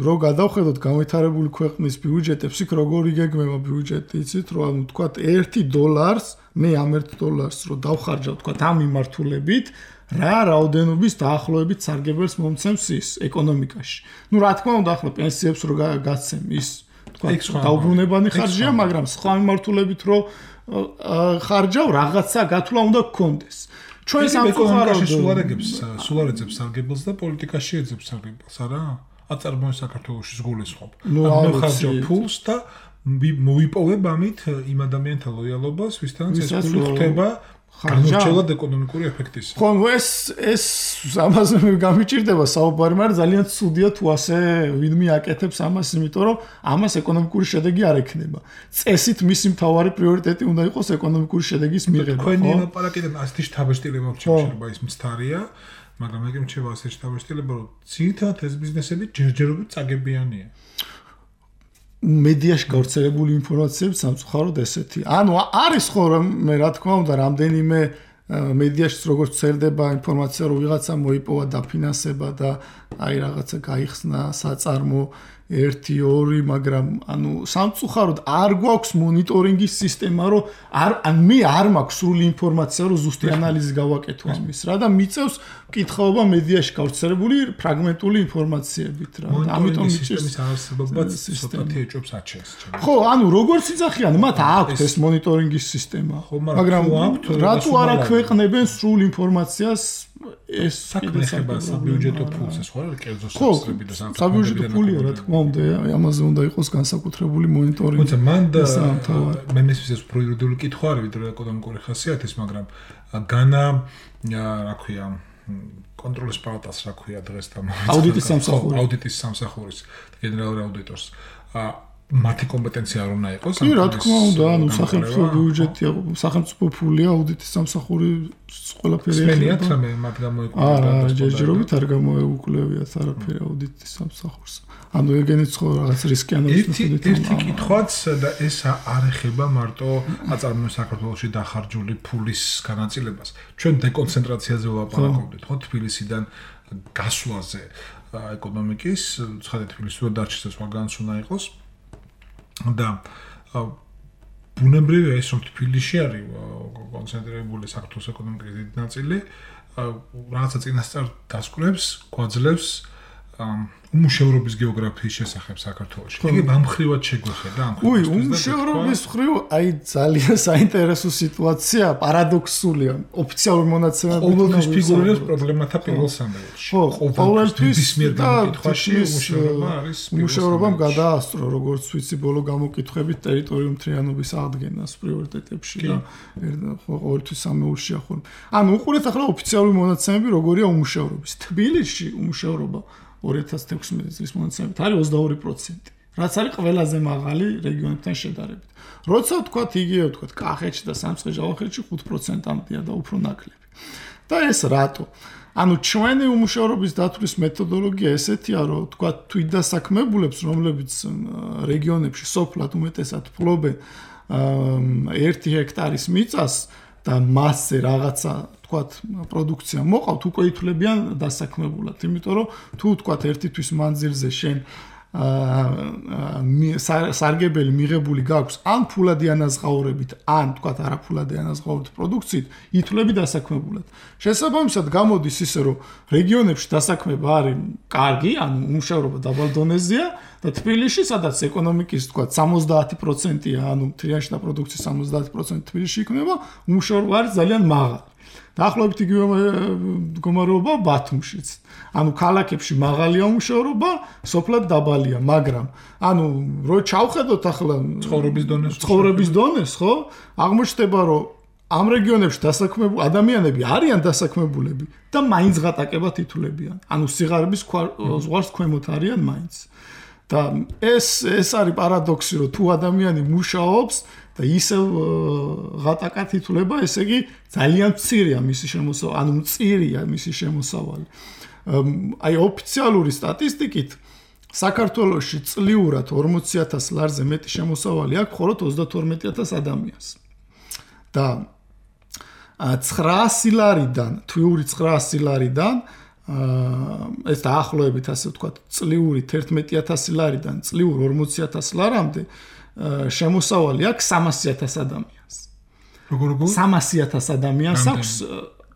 Speaker 3: რო გადავხედოთ განვითარებული ქვეყნის ბიუჯეტებს, იქ როგორი გეგმება ბიუჯეტი, იცით, რომ ანუ თქვა $1 მე ამ $1 რო დავხარჯავ, თქვა ამ მიმართულებით რა რაოდენობის დაახლოებით სარგებელს მომცემს ის ეკონომიკაში. ნუ რა თქმა უნდა ახლა პენსიებს რო გაცემ ის თქვა დაუბრუნებანი ხარჯია, მაგრამ სხვა მიმართულებით რო ხარჯავ რაღაცა გათვლა უნდა გქონდეს. ჩვენ
Speaker 2: სამწუხაროდ სულ არ ეძებს სარგებელს და პოლიტიკაში ეძებს სარგებელს, არა? აწარმოებს საქართველოს გულისხმობ.
Speaker 3: ნუ
Speaker 2: ხარჯავ ფულს და მოვიპოვებ ამით იმ ადამიანთა ლოიალობას, ვისთანაც ეს ფული ხდება გამორჩეულად ეკონომიკური ეფექტის.
Speaker 3: ხო, ეს ამაზე გამიჭირდება საუბარი, მაგრამ ძალიან ცუდია თუ ასე ვინმე აკეთებს ამას, იმიტომ რომ ამას ეკონომიკური შედეგი არ ექნება. წესით მისი მთავარი პრიორიტეტი უნდა იყოს ეკონომიკური შედეგის მიღება.
Speaker 2: თქვენი ლაპარაკიდან ასეთი შთაბეჭდილება შეიძლება ის მცდარია, მაგრამ მე მჩება ასეთი შთაბეჭდილება, რომ ძირითადად ეს ბიზნესები ჯერჯერობით წაგებიანია.
Speaker 3: მედიაში გავრცელებული ინფორმაციები სამწუხაროდ ესეთი. ანუ არის ხო მე რა თქმა უნდა რამდენიმე მედიაში როგორც წერდება ინფორმაცია რომ ვიღაცა მოიპოვა დაფინანსება და აი რაღაცა გაიხსნა საწარმო 1-2, მაგრამ ანუ სამწუხაროდ არ გვაქვს მონიტორინგის სისტემა, რომ მე არ მაქვს სრული ინფორმაცია, რომ ზუსტი ანალიზი გავაკეთო ამის რა და მიწევს მკითხაობა მედიაში გავრცელებული ფრაგმენტული ინფორმაციებით რა.
Speaker 2: ამიტომ სისტემის არსებობაც ცოტათი ეჭვებს აჩენს.
Speaker 3: ხო, ანუ როგორც იცახიან, მათ აქვთ ეს მონიტორინგის სისტემა, მაგრამ რატო არ აქვეყნებენ სრულ ინფორმაციას ეს
Speaker 2: საქმეება საბიუჯეტო ფულს ეს ხო არის კერძო სასწრები და
Speaker 3: საბიუჯეტო ფულია რა თქმა უნდა ამაზე უნდა იყოს განსაკუთრებული მონიტორინგი.
Speaker 2: თუმცა მან მე მესმის ეს პროირდული კითხვა არის ვიდრე ეკონომიკური ხასიათის, მაგრამ განა რა ქვია კონტროლის პალატას რა ქვია დღეს და აუდიტის სამსახურის გენერალური აუდიტორს მათი კომპეტენცია არ უნდა იყოს.
Speaker 3: კი, რა თქმა უნდა, ანუ სახელმწიფო ბიუჯეტია, სახელმწიფო ფულია, აუდიტის სამსახური ყველაფერი
Speaker 2: ეხება. სმენიათ რამე მათ გამოეკვლევათ.
Speaker 3: არა, ჯერჯერობით არ გამოეუკლევიათ არაფერი აუდიტის სამსახურს. ანუ ეგენიც ხო რაღაც რისკიანობის მიხედვით.
Speaker 2: ერთი კითხვაც და ეს არ ეხება მარტო აწარმოებს საქართველოში დახარჯული ფულის განაწილებას. ჩვენ დეკონცენტრაციაზე ვლაპარაკობდით, ხო, თბილისიდან გასვლაზე ეკონომიკის, ცხადე თბილისში დარჩეს სხვაგანაც უნდა იყოს. და ბუნებრივია ის რომ თბილისში არის კონცენტრირებული საქართველოს ეკონომიკის დიდი ნაწილი რაღაცა წინასწარ დასკვნებს, გვაძლევს უმუშევრობის გეოგრაფიის შესახებ საქართველოში. იგი ამხრივად შეგვეხედა ამ
Speaker 3: ხრივ. უმუშევრობის ხრივ აი ძალიან საინტერესო სიტუაცია, პარადოქსულია. ოფიციალური მონაცემები
Speaker 2: ყოველთვის ფიგურირებს პრობლემათა პირველ სამეულში.
Speaker 3: ყოველთვის
Speaker 2: მიერ გამოკითხვაში უმუშევრობა არის.
Speaker 3: უმუშევრობამ გადაასწრო, როგორც ვიცი, ბოლო გამოკითხვებით ტერიტორიულ მთლიანობის აღდგენას პრიორიტეტებში და ყოველთვის სამეულშია ხოლმე. ანუ უყურეთ ახლა ოფიციალური მონაცემები როგორია უმუშევრობის. თბილისში უმუშევრობა 2016 წლის მონაცემებით არის 22%, რაც არის ყველაზე მაღალი რეგიონებთან შედარებით. როცა ვთქვათ იგივე ვთქვათ კახეთში და სამცხე-ჯავახეთში 5%-ამდეა და უფრო ნაკლები. და ეს რატო? ანუ ჩვენი უმუშევრობის დათვლის მეთოდოლოგია ესეთია, რომ ვთქვათ თვითდასაქმებულებს, რომლებიც რეგიონებში სოფლად უმეტესად ფლობენ 1 ჰექტარის მიწას და მასზე რაღაცა თქვათ პროდუქცია მოყავთ, უკვე ითვლებიან დასაქმებულად, იმიტომ რომ თუ თქვათ ერთი თვის მანძილზე შენ სარგებელი მიღებული გაქვს ან ფულადი ანაზღაურებით, ან თქვათ არაფულადი ანაზღაურებით პროდუქციით, ითვლები დასაქმებულად. შესაბამისად გამოდის ისე, რომ რეგიონებში დასაქმება არის კარგი, ანუ უმუშევრობა დაბალ დონეზეა და თბილისში, სადაც ეკონომიკის თქვათ 70%-ია, ანუ მთლიანში და პროდუქციის 70% თბილისში იქნება, უმუშევრობა არის ძალიან მაღალი. დაახლოებით იგივე მდგომარეობა ბათუმშიც. ანუ ქალაქებში მაღალია უმუშევრობა, სოფლად დაბალია, მაგრამ ანუ რო ჩავხედოთ ახლა ცხოვრების დონეს, ხო? აღმოჩნდება, რომ ამ რეგიონებში დასაქმებული ადამიანები არიან დასაქმებულები და მაინც ღატაკებად ითვლებიან. ანუ სიღარიბის ზღვარს ქვემოთ არიან მაინც. და ეს არის პარადოქსი, რომ თუ ადამიანი მუშაობს და ისევ ღატაკად ითვლება, ესე იგი ძალიან მცირეა მისი შემოსავალი, ანუ მწირია მისი შემოსავალი. აი ოფიციალური სტატისტიკით საქართველოში წლიურად 40,000 ლარზე მეტი შემოსავალი აქვს მხოლოდ 32,000 ადამიანს. და 900 ლარიდან, თვიური 900 ლარიდან ეს დაახლოებით ასე ვთქვათ, წლიური 11,000 ლარიდან წლიურ 40,000 ლარამდე შემოსავალი აქვს 300,000 ადამიანს.
Speaker 2: როგორ
Speaker 3: 300,000 ადამიანს აქვს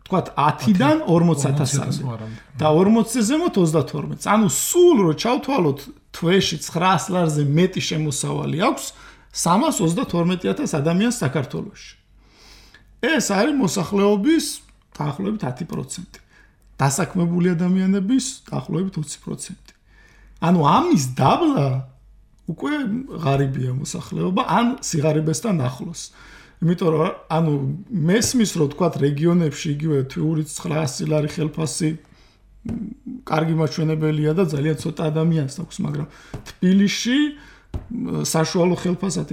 Speaker 3: თქვათ 10-დან 40,000-მდე და 40-ზე ზემოთ 32. ანუ სულ რო ჩავთვალოთ თვეში 900 ლარზე მეტი შემოსავალი აქვს 332,000 ადამიანს საქართველოში. ეს არის მოსახლეობის დაახლოებით 10%. დასაქმებული ადამიანების დაახლოებით 20%. ანუ ამის დაბლა უკვე ღარიბია მოსახლეობა ან სიღარიბესთან ახლოს. იმიტომ რომ ანუ მესმის რომ თქვა რეგიონებში იგივე თვიური 900 ლარი ხელფასი კარგი მაჩვენებელია და ძალიან ცოტა ადამიანს აქვს, მაგრამ თბილისში საშუალო ხელფასად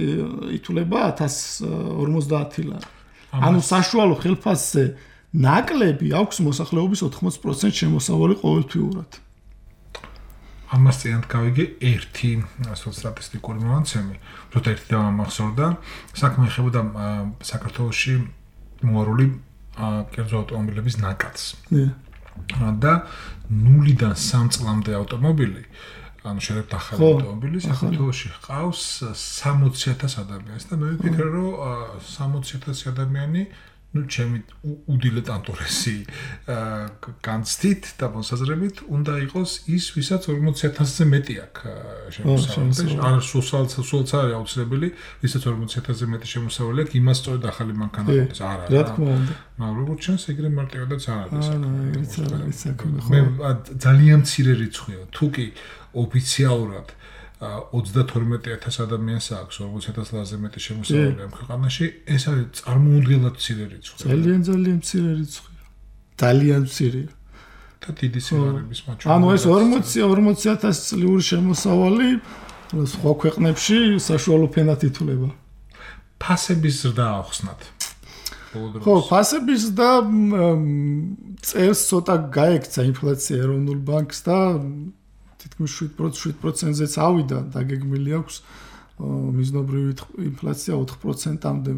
Speaker 3: ითვლება 1050 ლარი. ანუ საშუალო ხელფასზე ნაკლები აქვს მოსახლეობის 80% შემოსავალი ყოველთვიურად.
Speaker 2: ამას წინათ გავიგე ერთი სტატისტიკური მომაცემი, როცა ერთი დამახსოვრდა, საქმე ეხებოდა საქართველოში მოარული კერძო ავტომობილების ნაკადს. და 0-დან 3 წლამდე ავტომობილი, ანუ შეიძლება ახალი ავტომობილი საქართველოში ჰყავს 60,000 ადამიანს და მე ვფიქრე რომ 60,000 ადამიანი ჩემი უდილეტანტურესი განცდით და მოსაზრებით უნდა იყოს ის, ვისაც 40,000-ზე მეტი აქვს შემოსავალი. არ სულაც არის აუცილებელი, ვისაც 40,000-ზე მეტი შემოსავალი აქვს, იმას სწორედ ახალი მანქანა აქვს. არა.
Speaker 3: რა თქმა უნდა.
Speaker 2: მაგრამ როგორც ჩანს, ეგრე მარტივადაც არ არის. მე ძალიან მცირე რიცხვია. თუ კი ოფიციალურად 32,000 ადამიანს აქვს 40,000 ლარზე მეტი შემოსავალი ამ ქვეყანაში, ეს არის წარმოუდგენლად მცირე რიცხვი. ძალიან მცირე რიცხვია. ძალიან მცირეა. და დიდი სიღარიბის მაჩვენებელი. ანუ ეს 40,000 წლიური შემოსავალი სხვა ქვეყნებში საშუალო ფენად ითვლება. ფასების ზრდა ახსნათ. ხო, ფასების და წელს ცოტა გაექცა ინფლაცია ეროვნულ ბანკს და თითქმის 7%-ზეც ავიდა, დაგეგმილი აქვს მიზნობრივი ინფლაცია 4%-მდე,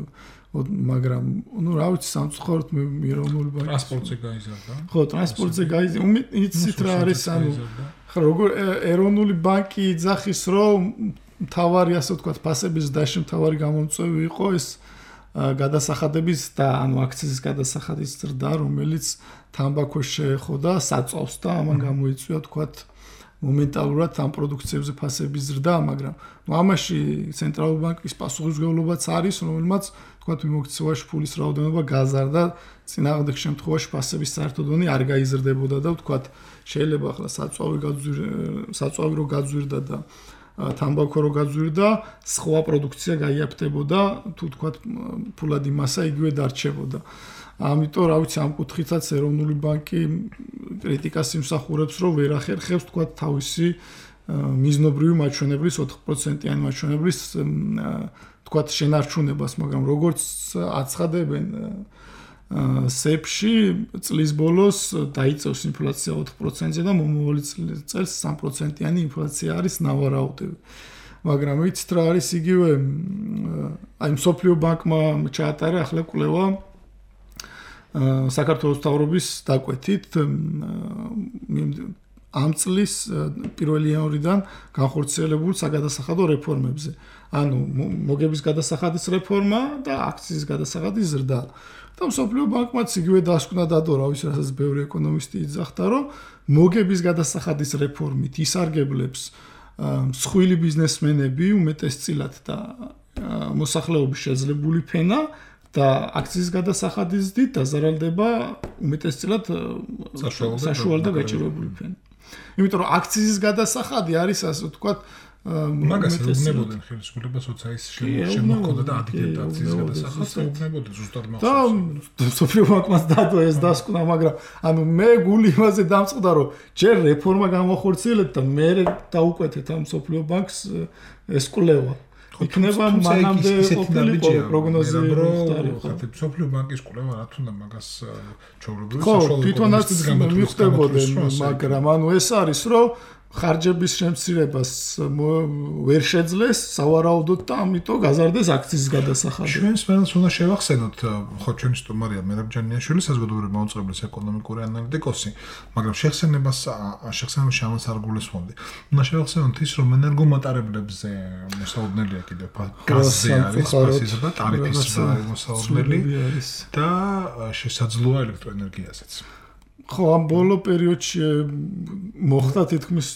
Speaker 2: მაგრამ ნუ რა ვიცი, სამწუხაროდ მე ეროვნული ბანკი ტრანსპორტზე გაიზარდა. ხო, ტრანსპორტზე გაიზარდა. იცით რა არის, ანუ ხო, როგორ ეროვნული ბანკი იძახის, რომ თავარი, ასე ვთქვათ, ფასების ზრდაში თავარი გამომწვევი იყო ეს გადასახადების და ანუ აქციზის გადასახადის ზრდა, რომელიც თამბაქოს შეეხოდა საწვავს და ამან გამოიწვია, ვთქვათ, მომენტალურად ამ პროდუქციებზე ფასების ზრდა, მაგრამ ამაში ცენტრალური ბანკის პასუხისმგებლობაც არის, რომელმაც თქვათ მიმოქცევაში ფულის რაოდენობა გაზარდა, წინააღმდეგ შემთხვევაში ფასების საერთო დონე არ გაიზრდებოდა და თქვათ შეიძლება ახლა საწვავი რო გაძვირდა და თამბაქო რო გაძვირდა, სხვა პროდუქცია გაიაფთებოდა, თუ თქვათ ფულადი მასა იგივე დარჩებოდა. ამიტომ რა ვიცი, ამ კუთხითაც ეროვნული ბანკი კრიტიკას იმსახურებს, რომ ვერ ახერხებს თქვათ თავისი მიზნობრივი მაჩვენებლის 4%-იანი მაჩვენებლის თქვათ შენარჩუნებას, მაგრამ როგორც აცხადებენ სეფში წლის ბოლოს დაიწევს ინფლაცია 4%-ზე და მომავალი წელს 3%-იანი ინფლაცია არის ნავარაუდები. მაგრამ ვიცით რა არის იგივე აი მსოფლიო ბანკმა ჩაატარა ახლა კვლევა საქართველოს მთავრობის დაკვეთით ამ წლის 1 იანვრიდან განხორციელებულ საგადასახადო რეფორმებზე. ანუ მოგების გადასახადის რეფორმა და აქციის გადასახადის ზრდა. და მსოფლიო ბანკმაც იგივე დასკვნა დადო, რა ვიცი, რასაც ბევრი ეკონომისტი იძახდა, რომ მოგების გადასახადის რეფორმით ისარგებლებს მსხვილი ბიზნესმენები უმეტესწილად და მოსახლეობის შეძლებული ფენა და აქციის გადასახადის დიდ დაზარალდება უმეტესწილად საშუალო და გაჭირვებული ფენა. იმიტომ რომ აქციის გადასახადი არის ასე ვთქვათ მაგას ეუბნებოდნენ ხელისუფლებას, როცა ის შემოჰქონდა და ადგენდა აქციის გადასახადს, ეუბნებოდნენ ზუსტად მახსოვს.
Speaker 3: და მსოფლიო ბანკმაც დადო ეს დასკვნა, მაგრამ ანუ მე გული იმაზე დამწყდა, რომ ჯერ რეფორმა გამახორციელეთ და მე დაუკვეთეთ ამ მსოფლიო ბანკს ეს კვლევა. იქნება მანამდე ყოფილი პროგნოზი
Speaker 2: ხათი მსოფლიო ბანკის კვლევა რა თქმა უნდა მაგას ჩაურობდნენ
Speaker 3: საშუალო თვითონაც მივხვდებოდნენ, მაგრამ ანუ ეს არის რომ ხარჯების შემცირებას ვერ შეძლეს სავარაუდოდ და ამიტომ გაზარდეს აქციის გადასახადი.
Speaker 2: ჩვენს მენელს უნდა შევახსენოთ, ხო ჩვენი სტუმარია მერაბ-ჯანიაშვილი, საზოგადოებრივი მოუწყებლის ეკონომიკური ანალიტიკოსი, მაგრამ შეხსენებას შამას არ გულისხმობდი. უნდა შევახსენოთ ის, რომ ენერგომატარებლებზე მოსაუბნელია კიდევ გაზზე არის ფასისა და ტარიფის მოსაუბნელი და შესაძლოა ელექტროენერგიაზეც.
Speaker 3: ხო, ამ ბოლო პერიოდში მოხდა თითქმის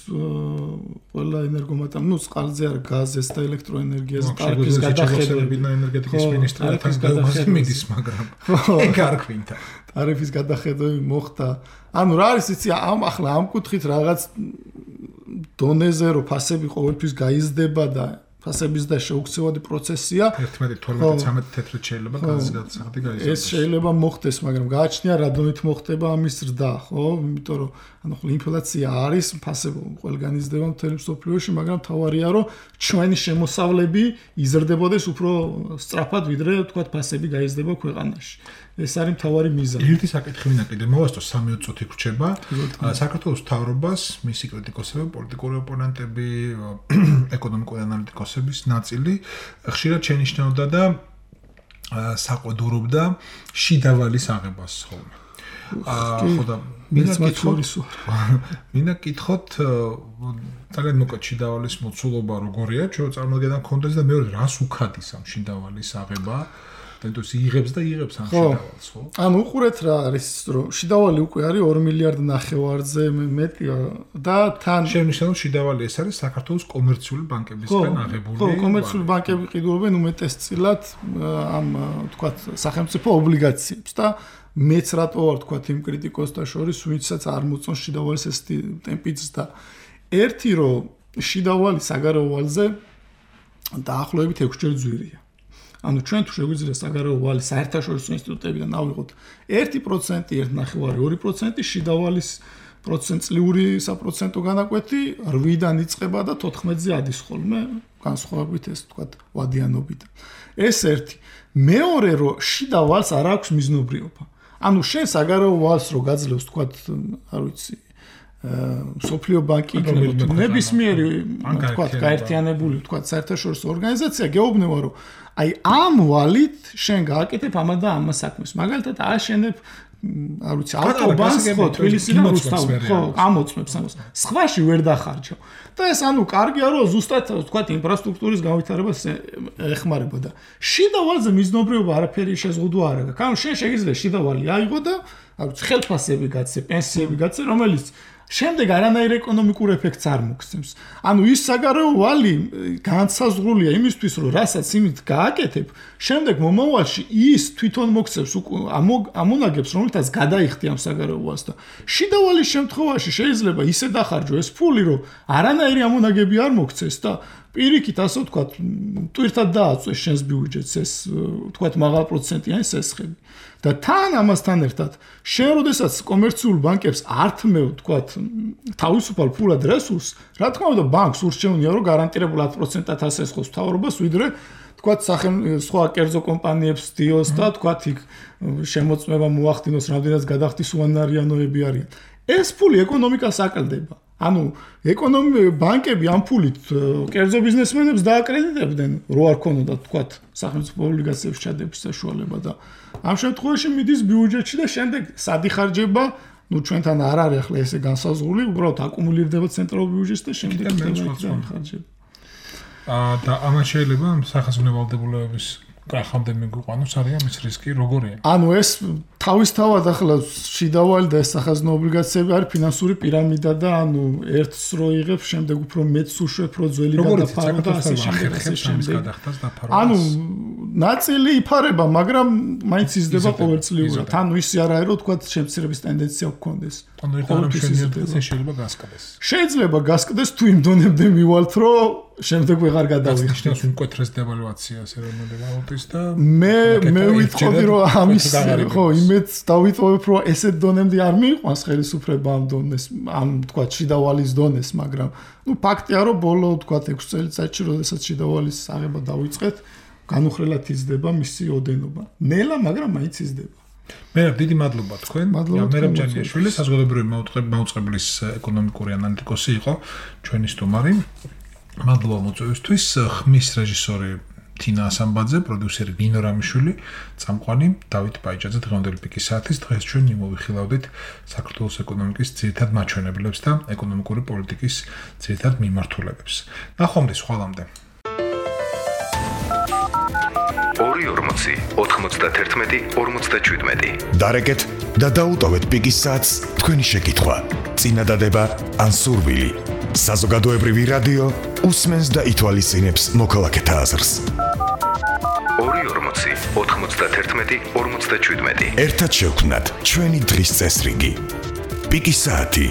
Speaker 3: ყველა ენერგომატამ, წყალზე არ გაზეს და ელექტროენერგიაზე ტარიფის გადახედვა
Speaker 2: ენერგეტიკის მინისტრიათან გადახედვის, მაგრამ ეგ არ გვინდა.
Speaker 3: ტარიფის გადახედვები მოხდა. ანუ რა არის იცი, ახლა ამ კუთხით რაღაც დონეზე რო ფასები ყოველთვის გაიზრდება და ფასების და შეუქცევადი პროცესია
Speaker 2: 11-12-13 თეთრად შეიძლება განსაკუთრებით გაიზარდოს.
Speaker 3: ეს შეიძლება მოხდეს, მაგრამ გააჩნია რა დონით მოხდება ამის ზრდა, ხო? იმიტომ რომ ინფლაცია არის, ფასები ყველგან იზრდება მთელი მსოფლიოში, მაგრამ თავარია რომ ჩვენი შემოსავლები იზრდებოდეს უფრო სწრაფად, ვიდრე თქვათ ფასები გაიზრდება ქვეყანაში. ეს არის მთავარი მიზანი.
Speaker 2: ერთი საკითხი მინდა კიდე მოვასწრო 3 წუთი გრჩება. საქართველოს მთავრობას, მისი კრიტიკოსები, პოლიტიკური ოპონენტები, ეკონომიკური ანალიტიკოსების ნაწილი ხშირად შენიშნავდა და საყვედურობდა შიდა ვალის აღებას ხოლმე. ხო და მინდა კითხოთ ძალიან მოკლედ შიდა ვალის მოცულობა როგორია, ჩვენ წარმოგედა მქონდეს და მეორე რას უქადის ამ შიდა ვალის აღება? თუნდაც იღებს და იღებს ამ შიდავალს, ხო?
Speaker 3: ანუ უყურეთ რა არის, რომ შიდავალი უკვე არის 2 მილიარდ ნახევარზე მეტი და თან
Speaker 2: შენიშნავ შიდავალი ეს არის საქართველოს კომერციული ბანკებისგან აღებული.
Speaker 3: ხო, კომერციული ბანკები ყიდულობენ უმეტესწილად ამ თქვათ სახელმწიფო ობლიგაციებს და მეც რატო ვარ თქვათ იმ კრიტიკოსთა შორის, ვინცაც არ მოწონს შიდავალის ეს ტემპი ზრდა. ერთი რომ შიდავალი საგარეო ვალზე დაახლოებით 6 ჯერ ძვირია. ანუ ჩვენ თუ შეგვიძლია საგარეო ვალის საერთაშორისო ინსტიტუტებიდან ავიღოთ 1%, 1.5%, 2% შიდავალის პროცენტლიური საპროცენტო განაკვეთი 8-დან იწყება და 14-ზე ადის ხოლმე, განსხვავებით ეს თქვათ ვადიანობიდან. ეს ერთი. მეორე რომ შიდავალს არ აქვს მიზნობრიობა. ანუ შენ საგარეო ვალს რო გაძლევს თქვათ, არ ვიცი, სოფლიო ბანკი იქნება ნებისმიერი თქვათ გაერთიანებული თქვათ საერთაშორისო ორგანიზაცია გეუბნება რომ აი ამ ვალით შენ გააკეთებ ამა და ამა საქმეს. მაგალითად აშენებ არ ვიცი ავტობანს ხო თბილისიდან რუსთავში ხო ამოწმებს ამას. სხვაში ვერ დახარჯო. და ეს ანუ კარგია რომ ზუსტად თქვათ ინფრასტრუქტურის განვითარებას ეხმარება და შიდა ვალზე მიზნობრიობა არაფერი შეზღუდვა არ აქვს. ანუ შენ შეგიძლია შიდა ვალი აიღო და არ ვიცი ხელფასები გაცე, პენსიები გაცე, რომელიც შემდეგ არანაირ ეკონომიკურ ეფექტს არ მოგცემს. ანუ ის საგარეო ვალი განსაზღვრულია იმისთვის, რომ რასაც იმით გააკეთებ, შემდეგ მომავალში ის თვითონ მოგცემს ამონაგებს, რომელთაც გადაიხდი ამ საგარეო ვალს და შიდა ვალის შემთხვევაში შეიძლება ისე დახარჯო ეს ფული, რომ არანაირი ამონაგები არ მოგცეს და პირიქით ასე ვთქვათ, ტვირთად დააწვეს შენს ბიუჯეტს ეს ვთქვათ მაღალ პროცენტიანი სესხები. და თან ამასთან ერთად შენ როდესაც კომერციულ ბანკებს ართმევ ვთქვათ თავისუფალ ფულად რესურსს, რა თქმა უნდა ბანკს ურჩევნია რომ გარანტირებულ 10%-ად ასესხოს მთავრობას, ვიდრე ვთქვათ სხვა კერძო კომპანიებს დიოს და ვთქვათ იქ შემოწმება მოახდინოს, რამდენიც გადახდის უანარიანოები არიან. ეს ფული ეკონომიკას აკლდება. ანუ ბანკები ამ ფულით კერძო ბიზნესმენებს დააკრედიტებდნენ, რო არ ქონოდათ თქვათ სახელმწიფო ობლიგაციების ჩადების საშუალება და ამ შემთხვევაში მიდის ბიუჯეტში და შემდეგ სადიხარჯება, ჩვენთან არ არის ახლა ესე განსაზღვრული, უბრალოდ აკუმულირდება ცენტრალურ ბიუჯეტს და შემდეგ ხარჯება.
Speaker 2: და ამან შეიძლება სახაზინო ვალდებულების კახამდე მიგვიყვანოს არიან მის რისკი როგორია?
Speaker 3: ანუ ეს თავისთავად ახლა შიდავალი და ეს სახაზინო ობლიგაციები არის ფინანსური პირამიდა და ანუ ერთს რო იღებ, შემდეგ უფრო მეტს უშვებ, რო ძველი გადაფარო და ასე შემდეგ. ანუ ნაწილი იფარება, მაგრამ მაინც იზრდება ყოველწლიურად. ანუ ისე არ არის, რომ თქვათ შემცირების ტენდენცია გქონდეს.
Speaker 2: ანუ შეიძლება გასკდეს.
Speaker 3: შეიძლება გასკდეს თუ იმ დონემდე მივალთ, რომ შემდეგ ვეღარ გადავიხდით.
Speaker 2: ეს უკეთრეს დევალვაციას ეროვნული ვალუტის და
Speaker 3: მე ვიტყოდი რომ ამის ხო იმედს დავიტოვებ რომ ესეთ დონემდე არ მიიყვანს ხელისუფლება ამ დონეს ამ თქვათ შიდავალის დონეს, მაგრამ ფაქტია რომ ბოლო თქვათ 6 წელიწადში როდესაც შიდავალის აღება დავიწყეთ, განუხრელად იზრდება მისი ოდენობა. ნელა, მაგრამ მაინც იზრდება.
Speaker 2: მე დიდი მადლობა თქვენ. მერაბ ჯანიაშვილი, საზოგადოებრივი მაუწყებლის ეკონომიკური ანალიტიკოსი იყო ჩვენი სტუმარი. მადლობა მოწვევისთვის. ხმის რეჟისორი თინა ასამბაძე, პროდიუსერი ნინო რამიშვილი, წამყვანი დავით ბაიჭაძე. დღევანდელი პიკის საათის დღეს ჩვენ მოვიხილავდით საქართველოს ეკონომიკის ძირითად მაჩვენებლებს და ეკონომიკური პოლიტიკის ძირითად მიმართულებებს. ნახვამდის ხვალამდე.
Speaker 1: 240 91 47. დარეკეთ და დაუტოვეთ პიკის საათს თქვენი შეკითხვა, წინადადება ან სურვილი. საზოგადოებრივი რადიო უსმენს და ითვალისწინებს მოქალაქეთა აზრს.
Speaker 4: 240 91 57.
Speaker 1: ერთად შევქმნათ ჩვენი დღის წესრიგი. პიკის საათი